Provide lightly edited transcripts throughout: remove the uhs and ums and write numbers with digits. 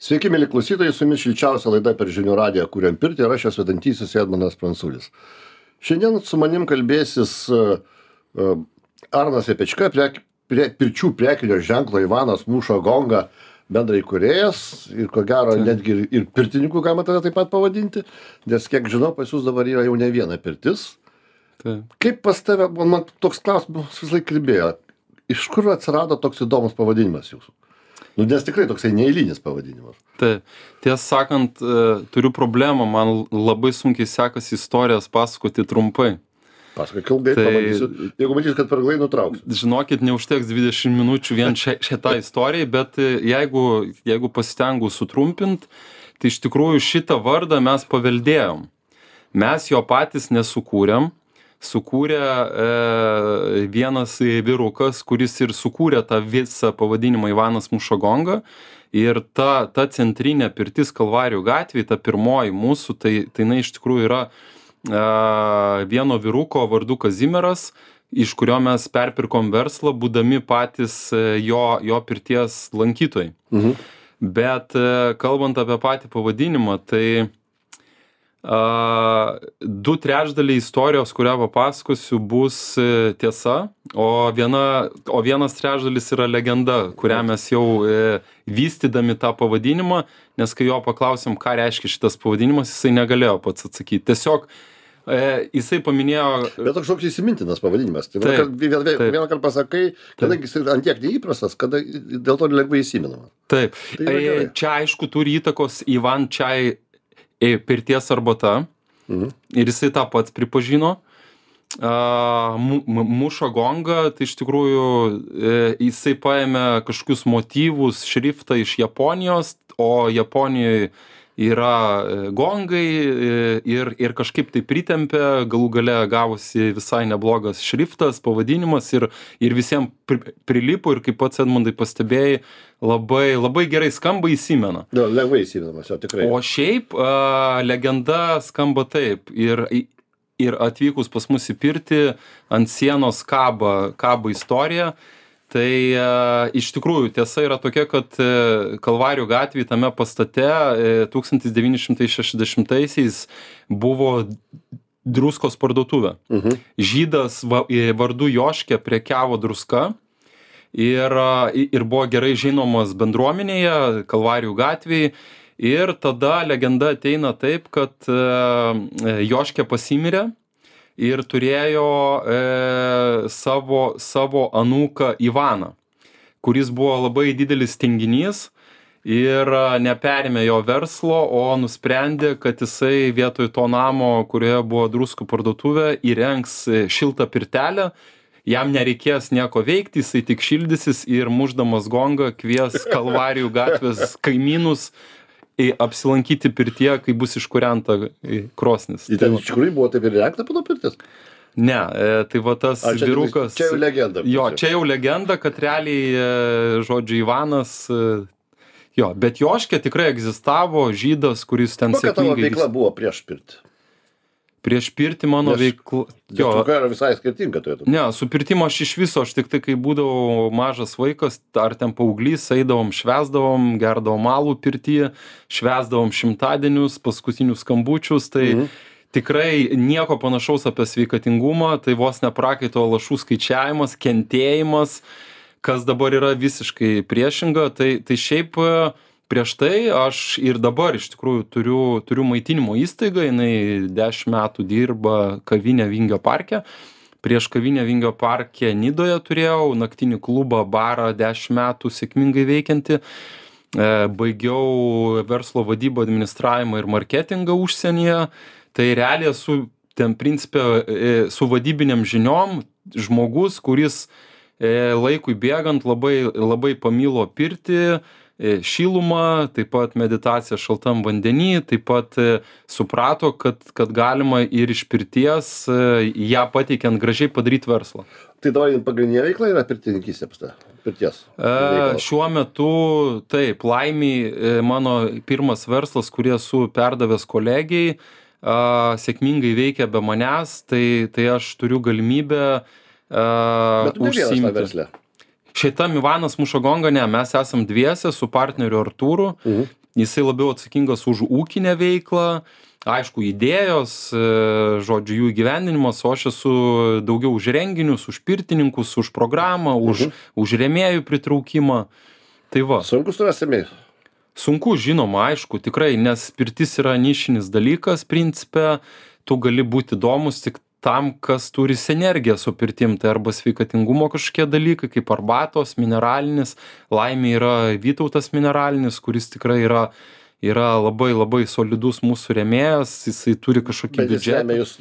Sveiki, mėly klausytojai, su jumis šilčiausia laida per žinių radiją Kuriam pirtį ir aš esu vedantysis Edmundas Pranculis. Šiandien su manim kalbėsis Arnas Epečka, pirčių prekinio ženklo Ivanas Muša Gonga bendraįkūrėjas ir ko gero netgi ir pirtininkų galima tada taip pat pavadinti, nes kiek žinau, pas jūs dabar yra jau ne viena pirtis. Kaip pas tave, man toks klausimas visą laiką kalbėjo, iš kur atsirado toks įdomus pavadinimas jūsų? Nes tikrai toksai neeilinis pavadinimas. Taip, tiesą sakant, turiu problemą, man labai sunkiai sekasi istorijas pasakoti trumpai. Pasakok ilgai, pamatysiu. Jeigu matysiu, kad per ilgai nutrauksiu. Žinokit, neužteks 20 minučių vien šitą istoriją, bet jeigu pasistengiu sutrumpint, tai iš tikrųjų šitą vardą mes paveldėjom. Mes jo patys nesukūrėm. Sukūrė vienas vyrukas, kuris ir sukūrė tą visą pavadinimą Ivanas Muša Gonga. Ir ta centrinė pirtis Kalvarijų gatvėje, ta pirmoji mūsų, tai jinai iš tikrųjų yra vieno vyruko vardu Kazimieras, iš kurio mes perpirkom verslą, būdami patys jo pirties lankytojai. Bet kalbant apie patį pavadinimą, tai 2/3 istorijos, kurią papasakosiu, bus tiesa, o vienas trečdalis yra legenda, kurią mes jau vystydami tą pavadinimą, nes kai jo paklausėm, ką reiškia šitas pavadinimas, jisai negalėjo pats atsakyti. Tiesiog jisai paminėjo... Bet toks šoks įsimintinas pavadinimas. Tai vieną kartą pasakai, kadangi jisai antiek neįprastas, kada dėl to lengvai įsiminama. Taip. Čia aišku turi įtakos Ivan Čai pirties arbata, ir jisai tą pats pripažino. Muša Gonga, tai iš tikrųjų jisai paėmė kažkokius motyvus, šriftą iš Japonijos, o Japonijoje yra gongai ir kažkaip tai pritempė, galų gale gavosi visai neblogas šriftas, pavadinimas ir visiems prilipo ir kaip pats Edmundai pastebėjai, labai gerai skamba, įsimena. Lengvai įsimenamas, jo tikrai. O šiaip legenda skamba taip ir atvykus pas mus į pirtį ant sienos kaba istorija. Tai iš tikrųjų tiesa yra tokia, kad Kalvarijų gatvėje tame pastate 1960-aisiais buvo druskos parduotuvė. Žydas vardu Joškė prekiavo druska ir buvo gerai žinomas bendruomenėje Kalvarijų gatvėje. Ir tada legenda ateina taip, kad Joškė pasimirė ir turėjo savo anūką Ivaną, kuris buvo labai didelis tinginys ir neperėmė jo verslo, o nusprendė, kad jisai vietoj to namo, kurioje buvo druskų parduotuvė, įrengs šiltą pirtelę, jam nereikės nieko veikti, jisai tik šildysis ir mušdamas gongą kvies Kalvarijų gatvės kaimynus apsilankyti pirtyje, kai bus iškūrenta krosnis. Ir ten iš tikrųjų buvo taip ir įrengta pano pirtis? Ne, tai va tas vyrukas... Čia jau legenda. Jo, čia jau legenda, kad realiai, žodžiu, Ivanas... Jo, bet Joškė tikrai egzistavo, žydas, kuris ten sėkmingai... Kokia tavo veikla buvo prieš pirtį? Prieš pirtį mano veikla... Jo, yra visai skirtinga turėtų. Ne, su pirtimo aš iš viso, aš tik tai, kai būdavau mažas vaikas, ar ten paauglys, eidavom, švęsdavom, gerdavom alų pirtyje, švęsdavom šimtadienius, paskutinius skambučius, tai tikrai nieko panašaus apie sveikatingumą, tai vos neprakaito lašų skaičiavimas, kentėjimas, kas dabar yra visiškai priešinga, tai šiaip... Prieš tai aš ir dabar iš tikrųjų turiu maitinimo įstaigą, jinai 10 metų dirba kavinė Vingio parke. Prieš kavinę Vingio parke Nidoje turėjau naktinį klubą, barą 10 metų sėkmingai veikianti. Baigiau verslo vadybą, administravimą ir marketingą užsienyje. Tai realiai esu ten principė su vadybiniam žiniom žmogus, kuris laikui bėgant labai pamilo pirtį, šilumą, taip pat meditaciją šaltam vandenį, taip pat suprato, kad galima ir iš pirties ją pateikiant gražiai padaryti verslą. Tai dabar pagrindinė veikla yra pirtininkystė pirties? Šiuo metu taip, laimiai mano pirmas verslas, kurį esu perdavęs kolegijai, sėkmingai veikia be manęs, tai aš turiu galimybę Bet tu ne vienas tą verslę? Šitam Ivanas Muša Gonga, ne, mes esam dviese su partneriu Artūru. jisai labiau atsakingas už ūkinę veiklą, aišku, idėjos, žodžiu, jų įgyvendinimas, o aš esu daugiau už renginius, už pirtininkus, už programą, už rėmėjų pritraukimą. Tai va. Sunku surasti rėmėjus? Sunku, žinoma, aišku, tikrai, nes pirtis yra nišinis dalykas, principe, tu gali būti įdomus tik tam, kas turi sinergiją su pirtim, tai arba sveikatingumo kažkokie dalykai, kaip arbatos, mineralinis, laimė yra Vytautas mineralinis, kuris tikrai yra labai labai solidus mūsų rėmėjas, jisai turi kažkokį biudžetą. Bet jis remia jūs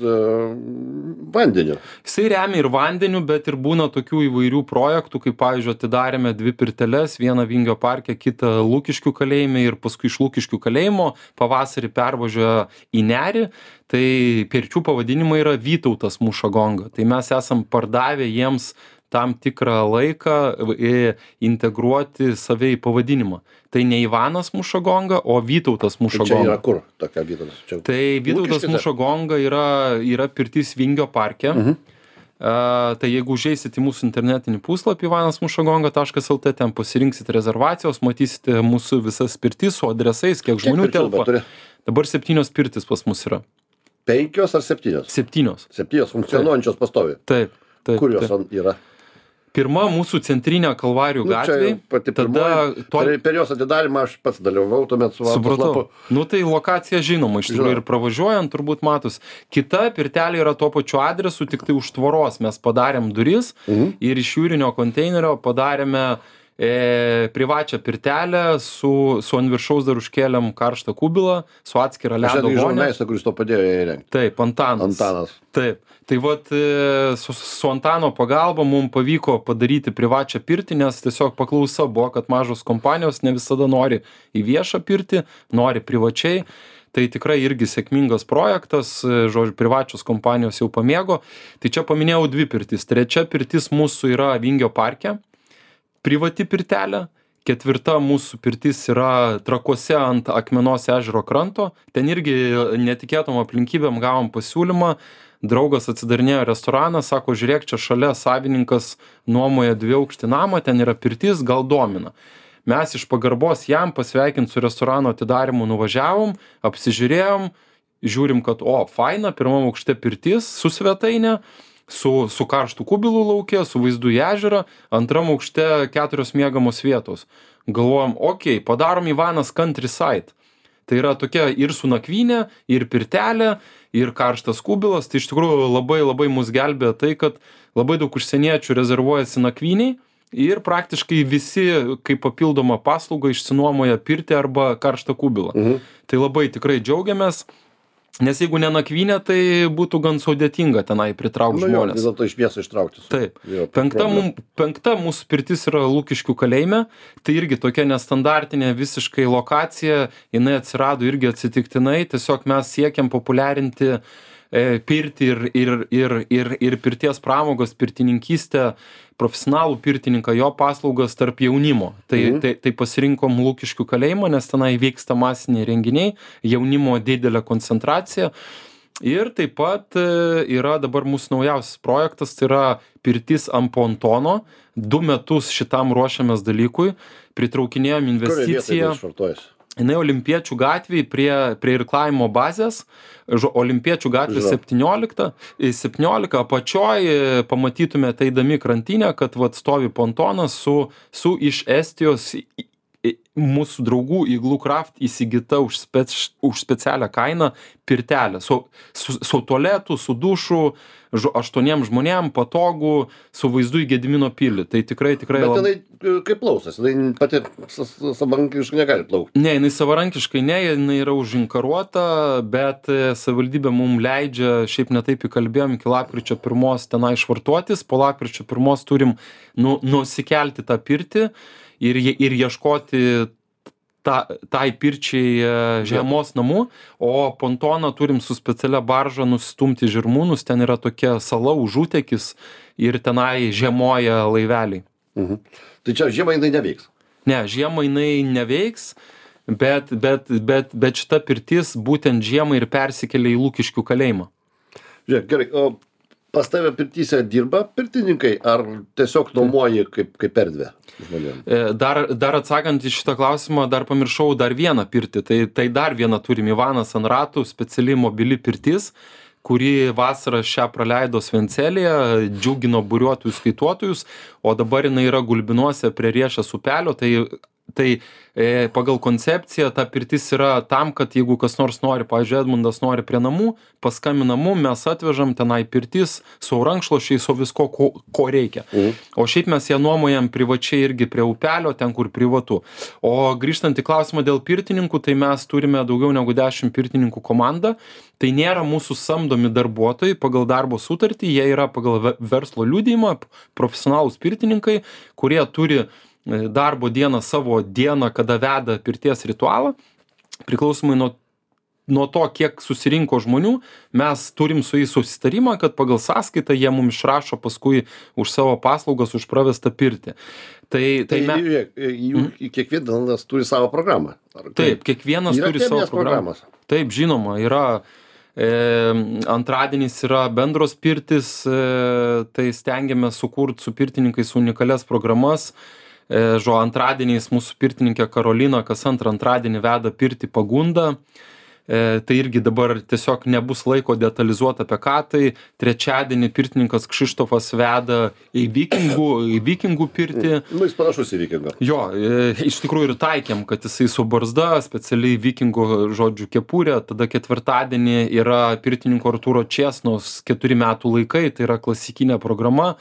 vandeniu. Jisai remia ir vandeniu, bet ir būna tokių įvairių projektų, kaip pavyzdžiui, atidarėme 2 pirteles, vieną Vingio parke, kitą Lukiškių kalėjime ir paskui iš Lukiškių kalėjimo pavasarį pervažiuoja į Nerį. Tai pirčių pavadinimai yra Vytautas muša gongą. Tai mes esam pardavę jiems tam tikrą laiką integruoti save į pavadinimą. Tai ne Ivanas muša gongą, o Vytautas muša gongą. Tai čia yra kur tokia Vytautas? Tai Vytautas muša gongą yra pirtis Vingio parke. Tai jeigu užeisit į mūsų internetinį puslapį ivanasmušagonga.lt, ten pasirinksit rezervacijos, matysite mūsų visas pirtis su adresais, kiek žmonių telpa. Dabar 7 pirtis pas mus yra. 5 ar 7? 7. 7 funkcionuojančios pastoviai. Taip. Kur jos yra? Pirma mūsų centrinė Kalvarijų gatvė. Per jos atidarimą aš pats dalyvavau tuomet su Supratau. Nu tai lokacija žinoma, iš tikrųjų ir pravažiuojant turbūt matus. Kita pirtelė yra tuo pačiu adresu, tik tai už tvoros mes padarėm duris ir iš jūrinio konteinerio padarėme privačią pirtelę, su ant viršaus dar užkėlėm karštą kubilą, su atskira ledo vonė. Aš žurnalistą, kuris to padėjo įrengti. Taip, Antanas. Taip. Tai vat su Antano pagalba mums pavyko padaryti privačią pirtį, nes tiesiog paklausa buvo, kad mažos kompanijos ne visada nori į viešą pirtį, nori privačiai. Tai tikrai irgi sėkmingas projektas, žodžiu, privačios kompanijos jau pamėgo. Tai čia paminėjau 2 pirtis. 3 pirtis mūsų yra Vingio parke, privati pirtelė. 4 mūsų pirtis yra Trakuose ant Akmenos ežero kranto. Ten irgi netikėtom aplinkybėm gavom pasiūlymą. Draugas atsidarinėjo restoraną, sako, žiūrėk, čia šalia savininkas nuomoja 2-aukštį namą, ten yra pirtis, gal domina. Mes iš pagarbos jam pasveikint su restorano atidarimu nuvažiavom, apsižiūrėjom, žiūrim, kad faina, 1 aukšte pirtis su svetainė, su karštų kubilų lauke, su vaizdu į ežerą, 2 aukšte 4 miegamos vietos. Galvojom, padarom Ivanas Countryside. Tai yra tokia ir su nakvynė, ir pirtelė, ir karštas kubilas. Tai iš tikrųjų labai labai mus gelbėjo tai, kad labai daug užsieniečių rezervuojasi nakvyniai ir praktiškai visi kaip papildomą paslaugą išsinuomoja pirtį arba karštą kubilą. Tai labai tikrai džiaugiamės. Nes jeigu ne nakvynė, tai būtų gan sudėtinga tenai pritraukti žmonės. Vis dėlto iš miesto ištraukti. Taip. 5 mūsų pirtis yra Lukiškių kalėjime. Tai irgi tokia nestandartinė visiškai lokacija. Jinai atsirado irgi atsitiktinai. Tiesiog mes siekiam populiarinti pirtį ir pirties pramogos, pirtininkystę, profesionalų pirtininką, jo paslaugas tarp jaunimo. Tai pasirinkom Lukiškių kalėjimą, nes tenai vyksta masiniai renginiai, jaunimo didelė koncentracija. Ir taip pat yra dabar mūsų naujausias projektas, tai yra pirtis ant pontono. 2 metus šitam ruošiamės dalykui. Pritraukinėjom investiciją. Jinai Olimpiečių gatvėje prie irklavimo bazės, Olimpiečių gatvė 17, apačioj pamatytumėte eidami krantinę, kad stovi pontonas su iš Estijos mūsų draugų Igloo Craft įsigyta už specialią kainą pirtelę. Su tualetu, su dušu, 8 žmonėm, patogų, su vaizdu į Gedimino pilį. Tai tikrai... Bet jinai kaip plausas, jinai pati savarankiškai negali plaukti. Ne, jinai savarankiškai ne, jinai yra užinkaruota, bet savivaldybė mums leidžia, šiaip netaip įkalbėjom, iki lapkričio 1 tenai švartuotis, po lapkričio 1 turim nusikelti tą pirtį ir ieškoti tai pirčiai žiemos namų, o pontoną turim su specialia barža nustumti žirmūnus, ten yra tokia sala užutekis ir tenai žiemoja laiveliai. Tai čia žiemą jinai neveiks? Ne, žiemą jinai neveiks, bet šita pirtis būtent žiemą ir persikelia į Lukiškių kalėjimą. Žiūrėk, gerai, o pas tave pirtyse dirba pirtininkai, ar tiesiog nuomoji kaip erdvę žmonėms? Dar atsakant į šitą klausimą, dar pamiršau dar vieną pirtį. Tai dar vieną turim, Ivanas ant ratų, speciali mobili pirtis, kuri vasarą šią praleido Svencelėje, džiugino buriuotojus skaituotojus, o dabar jinai yra Gulbinuose prie Riešės upelio. Tai pagal koncepciją ta pirtis yra tam, kad jeigu kas nors nori, pavyzdžiui, Edmundas nori prie namų, paskambina mum, mes atvežam tenai pirtis su rankšluošiais, su visko, ko reikia. O šiaip mes ją nuomojam privačiai irgi prie upelio, ten kur privatu. O grįžtant į klausimą dėl pirtininkų, tai mes turime daugiau negu 10 pirtininkų komandą. Tai nėra mūsų samdomi darbuotojai pagal darbo sutartį, jie yra pagal verslo liudijimą, profesionalūs pirtininkai, kurie turi darbo dieną, savo dieną, kada veda pirties ritualą. Priklausomai nuo to, kiek susirinko žmonių, mes turim su jais susitarimą, kad pagal sąskaitą jie mums išrašo paskui už savo paslaugas, už pravestą pirtį. Kiekvienas turi savo programą. Taip, kiekvienas turi savo programą. Taip, žinoma, yra antradienis yra bendros pirtis, tai stengiamės sukurti su pirtininkais unikalias programas. Antradieniais mūsų pirtininkė Karolina kas antrą antradienį veda pirtį Pagunda. Tai irgi dabar tiesiog nebus laiko detalizuoti apie ką. Tai trečiadienį pirtininkas Kšištofas veda į vikingų pirtį. Jis panašus į vikingą. Jo, iš tikrųjų ir taikėm, kad jisai su barzda, specialiai vikingo žodžių kepurė. Tada ketvirtadienį yra pirtininko Artūro Česnos 4 metų laikai, tai yra klasikinė programa.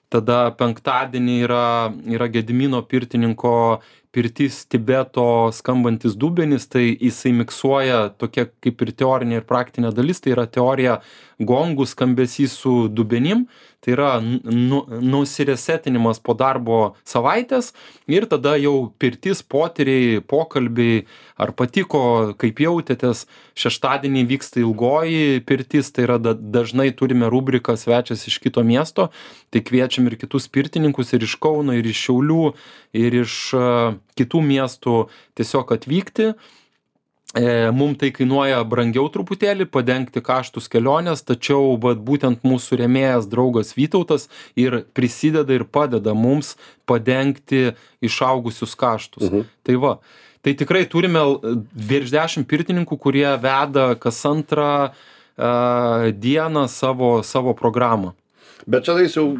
Tada penktadienį yra Gedimino pirtininko pirtis Tibeto skambantis dubenis, tai jisai miksuoja tokia kaip ir teorinė ir praktinė dalis, tai yra teorija gongų skambesys su dubenim, tai yra nusiresetinimas po darbo savaitės ir tada jau pirtis, potyriai, pokalbiai, ar patiko, kaip jautėtės. Šeštadienį vyksta ilgoji pirtis, tai yra dažnai turime rubriką svečias iš kito miesto, tai kviečiam ir kitus pirtininkus ir iš Kauno, ir iš Šiaulių, ir iš kitų miestų tiesiog atvykti. Mums tai kainuoja brangiau truputėlį padengti kaštus kelionės, tačiau būtent mūsų rėmėjas draugas Vytautas ir prisideda ir padeda mums padengti išaugusius kaštus. Tai tikrai turime virš 10 pirtininkų, kurie veda kas antrą dieną savo programą. Bet čia jau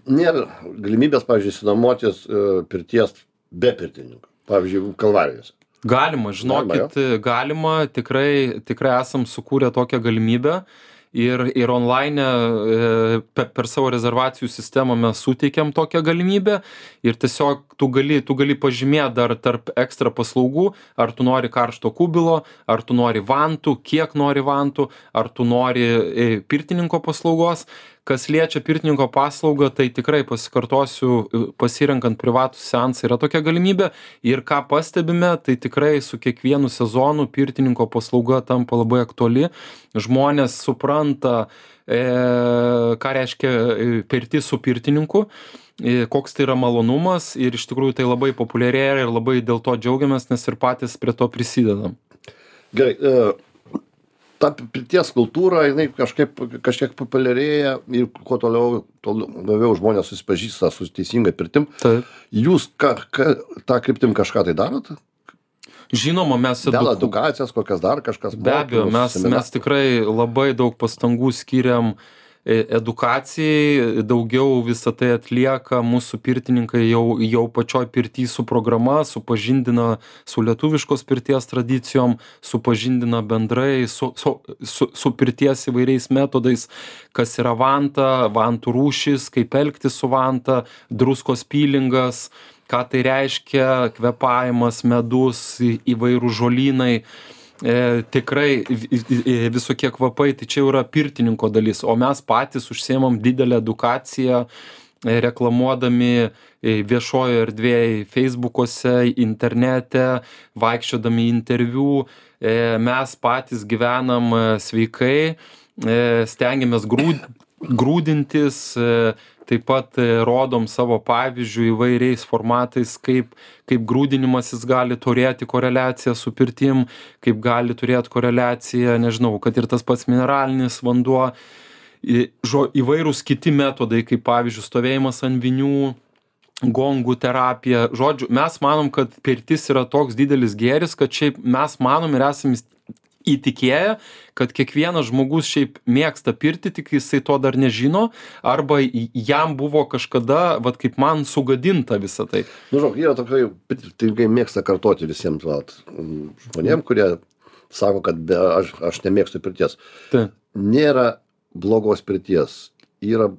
nėra galimybės, pavyzdžiui, išsinuomotis pirties be pirtininkų, pavyzdžiui, Kalvarijose. Galima, žinokit, galima, tikrai esam sukūrę tokią galimybę ir online per savo rezervacijų sistemą mes suteikiam tokią galimybę ir tiesiog tu gali pažymėti dar tarp ekstra paslaugų, ar tu nori karšto kubilo, ar tu nori vantų, kiek nori vantų, ar tu nori pirtininko paslaugos. Kas liečia pirtininko paslaugą, tai tikrai pasikartosiu, pasirenkant privatų seansą yra tokia galimybė ir ką pastebime, tai tikrai su kiekvienu sezonu pirtininko paslauga tampa labai aktuali. Žmonės supranta, ką reiškia pirtis su pirtininku, koks tai yra malonumas ir iš tikrųjų tai labai populiarėja ir labai dėl to džiaugiamės, nes ir patys prie to prisidedam. Gerai. Ta pirties kultūra, jinai kažkiek populiarėja ir kuo toliau, labiau žmonės susipažįsta su teisinga pirtim. Taip. Jūs tą kryptim kažką tai darot? Žinoma, mes dėl edukacijas, kokias dar kažkas. Be abejo, mes tikrai labai daug pastangų skiriam edukacijai, daugiau visą tai atlieka mūsų pirtininkai jau pačioj pirty su programa, supažindina su lietuviškos pirties tradicijom, supažindina bendrai su pirties įvairiais metodais, kas yra vanta, vantų rūšis, kaip elgtis su vanta, druskos pilingas, ką tai reiškia, kvepavimas, medus, įvairūs žolynai. Tikrai visokie kvapai, tai čia yra pirtininko dalis, o mes patys užsiemam didelę edukaciją, reklamuodami viešojo erdvėje, Facebook'ose, internete, vaikščiodami interviu. Mes patys gyvenam sveikai, stengiamės grūdintis, taip pat rodom savo pavyzdžių įvairiais formatais, kaip grūdinimasis gali turėti koreliaciją su pirtim, kaip gali turėti koreliaciją, nežinau, kad ir tas pats mineralinis vanduo. įvairūs kiti metodai, kaip pavyzdžiui stovėjimas ant vinių, gongų terapija. Žodžiu, mes manom, kad pirtis yra toks didelis gėris, kad šiaip mes manom ir esame įtikėję, kad kiekvienas žmogus šiaip mėgsta pirtį, tik jisai to dar nežino, arba jam buvo kažkada, vat kaip man, sugadinta visą tai. Nu, žinok, yra tokai, pirtininkai mėgsta kartoti visiems žmonėm, kurie sako, kad aš nemėgstu pirties. Tai. Nėra blogos pirties, yra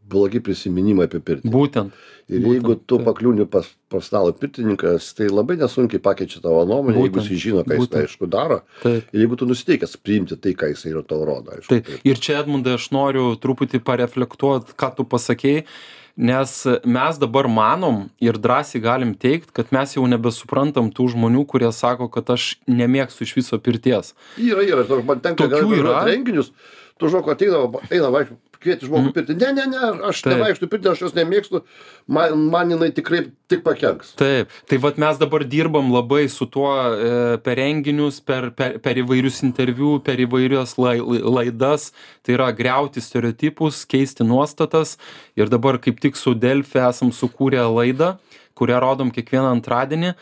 blogi prisiminimai apie pirtį. Būtent. Ir jeigu tu pakliūni pas profesionalų pirtininkas, tai labai nesunkiai pakeičia tavo nuomonę, jeigu jis žino, ką jis aišku daro. Taip. Ir jeigu tu nusiteikęs priimti tai, ką jis yra tau rodo. Aišku, taip. Ir čia, Edmundai, aš noriu truputį pareflektuoti, ką tu pasakei, nes mes dabar manom ir drąsiai galim teigt, kad mes jau nebesuprantam tų žmonių, kurie sako, kad aš nemėgstu iš viso pirties. Yra. Man tenka renginius, tu žinok, eina vaikščioti. Kvieti žmogų pirti. Ne, aš nevaikštu pirti, aš jos nemėgstu, man jinai tikrai tik pakenks. Taip, tai vat mes dabar dirbam labai su tuo per renginius, per įvairius interviu, per įvairias laidas, tai yra griauti stereotipus, keisti nuostatas ir dabar kaip tik su Delfi esam sukūrę laidą, kurią rodom kiekvieną antradienį,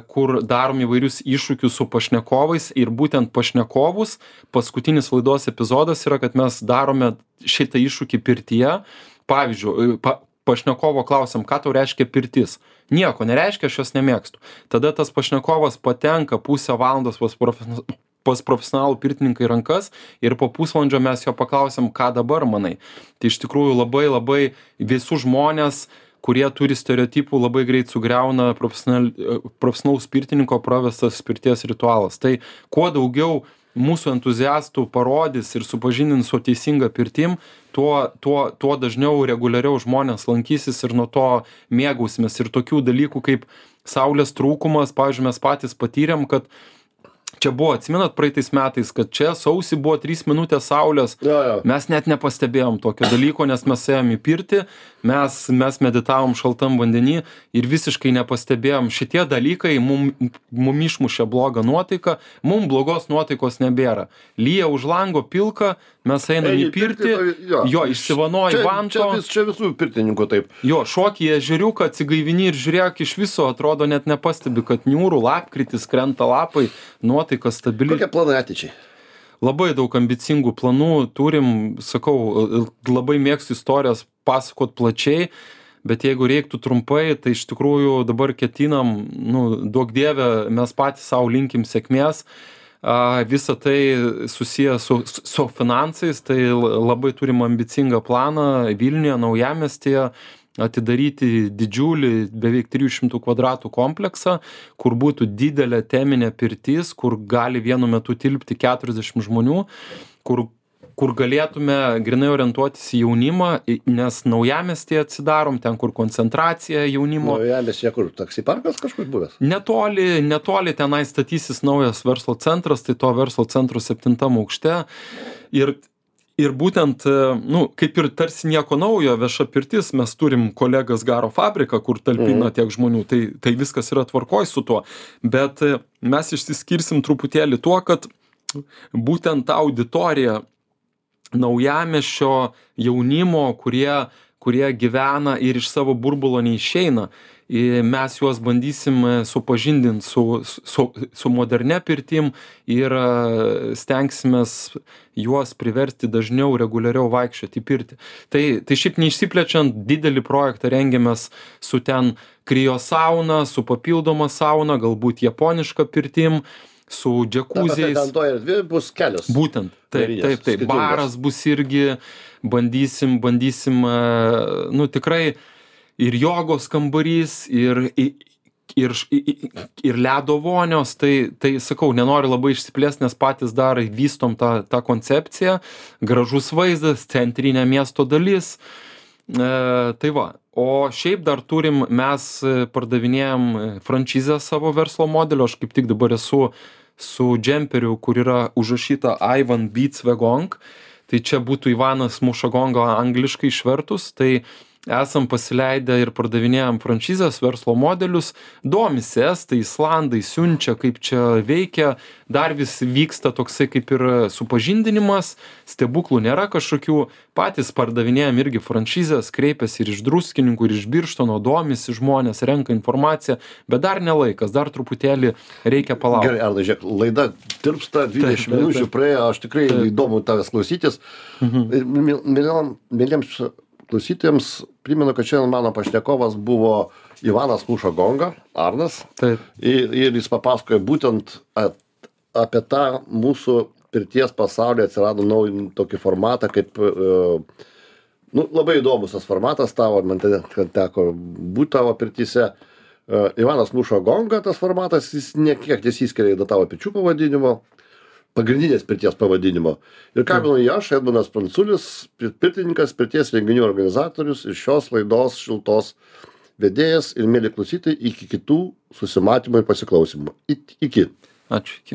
kur darom įvairius iššūkius su pašnekovais ir būtent pašnekovus, paskutinis laidos epizodas yra, kad mes darome šitą iššūkį pirtyje. Pavyzdžiui, pašnekovo klausiam, ką tau reiškia pirtis. Nieko nereiškia, aš jos nemėgstu. Tada tas pašnekovas patenka pusę valandos pas profesionalų pirtininką į rankas ir po pusvalandžio mes jo paklausiam, ką dabar manai. Tai iš tikrųjų labai visus žmonės, kurie turi stereotipų, labai greit sugriauna profesionalaus pirtininko pravestas pirties ritualas. Tai kuo daugiau mūsų entuziastų parodys ir supažindins su teisinga pirtim, tuo dažniau reguliariau žmonės lankysis ir nuo to mėgausimės. Ir tokių dalykų kaip saulės trūkumas, pavyzdžiui, mes patys patyrėm, kad čia buvo, atsimenat praeitais metais, kad čia sausį buvo 3 minutės saulės. Mes net nepastebėjom tokio dalyko, nes mes ėjom į pirtį, mes meditavom šaltam vandenį ir visiškai nepastebėjom. Šitie dalykai mum išmušė blogą nuotaiką, mum blogos nuotaikos nebėra. Lyja už lango pilka, mes einam į pirtį, išsivanoji vanto. Čia visų pirtininkų taip. Jo, šoki į ežeriuką, atsigaivini ir žiūrėk, iš viso atrodo net nepastebi, kad niūrų, lapkritis, krenta lapai, nuotaika stabili. Kokie planai ateičiai? Labai daug ambicingų planų turim, sakau, labai mėgstu istorijas pasakot plačiai, bet jeigu reiktų trumpai, tai iš tikrųjų dabar ketinam, duok dieve, mes patys savo linkim sėkmės. Visa tai susiję su finansais, tai labai turim ambicingą planą Vilniuje, Naujamiestyje, atidaryti didžiulį, beveik 300 kvadratų kompleksą, kur būtų didelė teminė pirtis, kur gali vienu metu tilpti 40 žmonių, kur galėtume grinai orientuotis į jaunimą, nes Naujamiestyje atsidarom, ten kur koncentracija jaunimo. Naujamiestyje kur, taksi parkas kažkur buvęs? Netoli tenai statysis naujas verslo centras, tai to verslo centro 7 aukšte. Ir būtent, kaip ir tarsi nieko naujo, vieša pirtis, mes turim kolegas Garo fabriką, kur talpina tiek žmonių, tai viskas yra tvarkoj su tuo. Bet mes išsiskirsim truputėlį tuo, kad būtent ta auditorija Naujamiesčio jaunimo, kurie gyvena ir iš savo burbulo neišeina, mes juos bandysim supažindinti su modernia pirtim ir stengsimės juos priversti dažniau reguliariau vaikščioti į pirtį. Tai šiaip neišsiplečiant, didelį projektą rengiamės su ten kriosauna, su papildoma sauna, galbūt japoniška pirtim, su džekuziais. Ten to erdvė bus kelios. Būtent, taip. Baras bus irgi, bandysim, tikrai ir jogos kambarys, ir ledo vonios, tai sakau, nenoriu labai išsiplėsti, nes patys dar vystom tą koncepciją, gražus vaizdas, centrinė miesto dalis, tai va. O šiaip dar turim, mes pardavinėjom franšizę savo verslo modelio, aš kaip tik dabar esu su džemperiu, kur yra užrašyta Ivan Beats Wagong, tai čia būtų Ivanas muša gongą angliškai išvertus, tai esam pasileidę ir pardavinėjam franšizės verslo modelius, domisi estai, islandai, siunčia, kaip čia veikia, dar vis vyksta toksai kaip ir supažindinimas, stebuklų nėra kažkokių, patys pardavinėjam irgi franšizės, kreipiasi ir iš Druskininkų, ir iš Birštono, domisi žmonės, renka informaciją, bet dar nelaikas, dar truputėlį reikia palaukti. Gerai, Arnai, žiūrėk, laida tirpsta, 20 minučių praėjo, aš tikrai įdomu tavęs klausytis. Mėlyms klausytojams primenu, kad šiandien mano pašnekovas buvo Ivanas Muša Gonga, Arnas. Taip. Ir jis papasakojo būtent apie tą mūsų pirties pasaulyje atsirado naują tokį formatą, kaip, labai įdomus tas formatas tavo, man teko būti tavo pirtyse. Ivanas Muša Gonga, tas formatas, jis nekiek nesiskiria į tavo pirčių pavadinimo, pagrindinės pirties pavadinimo. Ir kalbinu jį aš, Edmundas Pranculis, pirtininkas, pirties renginių organizatorius ir šios laidos šiltos vedėjas ir mėly klausytojai, iki kitų susimatymų ir pasiklausymų. Iki. Ačiū, iki.